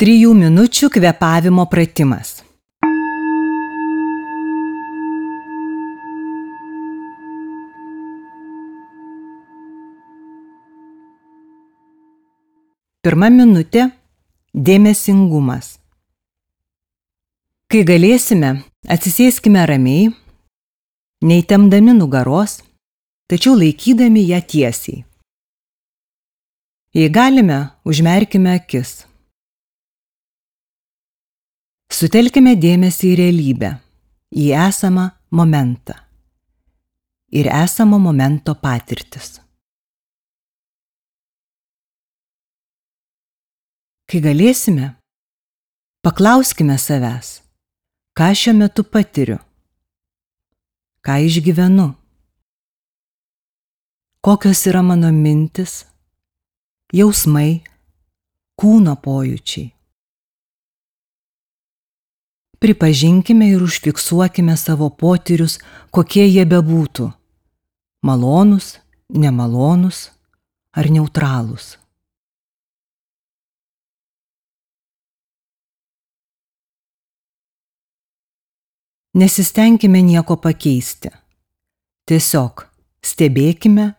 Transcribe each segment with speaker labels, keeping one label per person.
Speaker 1: 3 minučių kvėpavimo pratimas. Pirma minutė – dėmesingumas. Kai galėsime, atsisėskime ramiai, neįtempdami nugaros, tačiau laikydami ją tiesiai. Jei galime, užmerkime akis. Sutelkime dėmesį į realybę, į esamą momentą ir esamo momento patirtis. Kai galėsime, paklauskime savęs, ką šiuo metu patiriu, ką išgyvenu, kokios yra mano mintis, jausmai, kūno pojūčiai. Pripažinkime ir užfiksuokime savo potyrius, kokie jie bebūtų – malonūs, nemalonūs ar neutralūs. Nesistengkime nieko pakeisti. Tiesiog stebėkime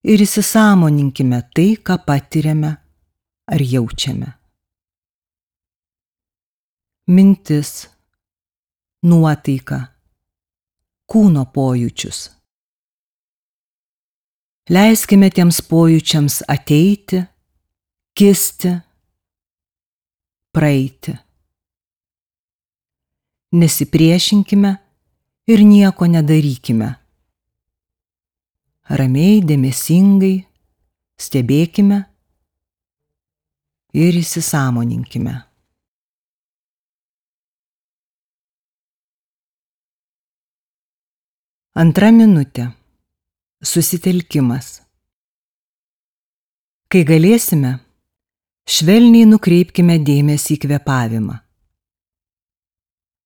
Speaker 1: ir įsisąmoninkime tai, ką patiriame ar jaučiame. Mintis, nuotaika, kūno pojūčius. Leiskime tiems pojūčiams ateiti, kisti, praeiti. Nesipriešinkime ir nieko nedarykime. Ramiai, dėmesingai stebėkime ir įsisąmoninkime. Antra minutė – susitelkimas. Kai galėsime, švelniai nukreipkime dėmesį į kvėpavimą.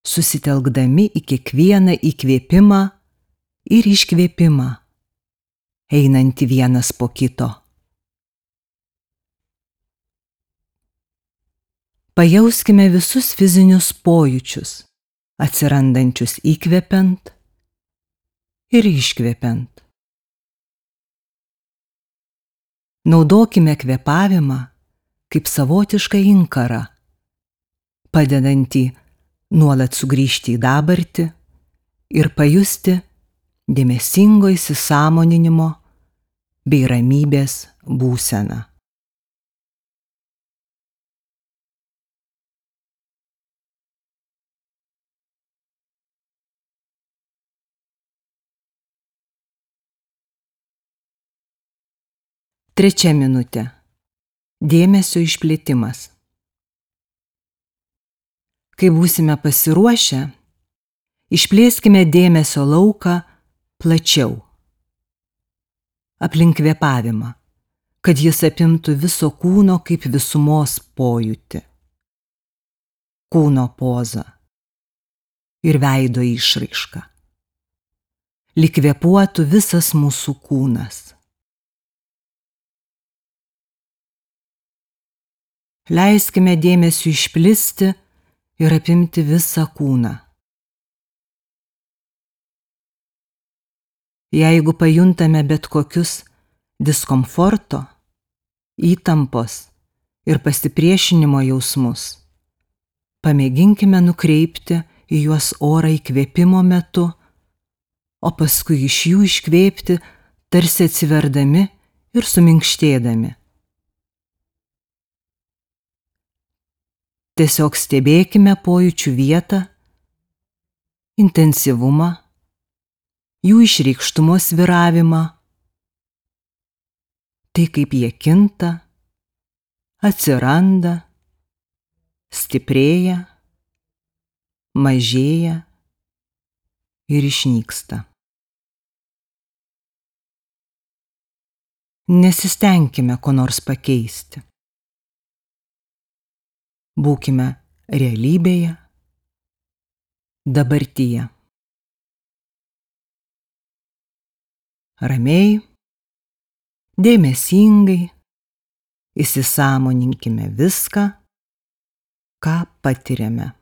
Speaker 1: Susitelkdami į kiekvieną įkvėpimą ir iškvėpimą, einantį vienas po kito. Pajauskime visus fizinius pojūčius, atsirandančius įkvepiant ir iškvepiant. Naudokime kvėpavimą kaip savotišką inkarą, padedantį nuolat sugrįžti į dabartį ir pajusti dėmesingo įsisąmoninimo bei ramybės būseną. Trečia minutė – dėmesio išplėtimas. Kai būsime pasiruošę, išplėskime dėmesio lauką plačiau, aplink kvėpavimą, kad jis apimtų viso kūno kaip visumos pojūtį, kūno pozą ir veido išraišką. Lyg kvėpuotų visas mūsų kūnas. Leiskime dėmesiu išplisti ir apimti visą kūną. Jeigu pajuntame bet kokius diskomforto, įtampos ir pasipriešinimo jausmus, pamėginkime nukreipti į juos orą įkvėpimo metu, o paskui iš jų iškvėpti, tarsi atsiverdami ir suminkštėdami. Tiesiog stebėkime pojūčių vietą, intensyvumą, jų išreikštumo svyravimą, tai kaip jie kinta, atsiranda, stiprėja, mažėja ir išnyksta. Nesistengkime ko nors pakeisti. Būkime realybėje, dabartyje. Ramiai, dėmesingai įsisąmoninkime viską, ką patiriame.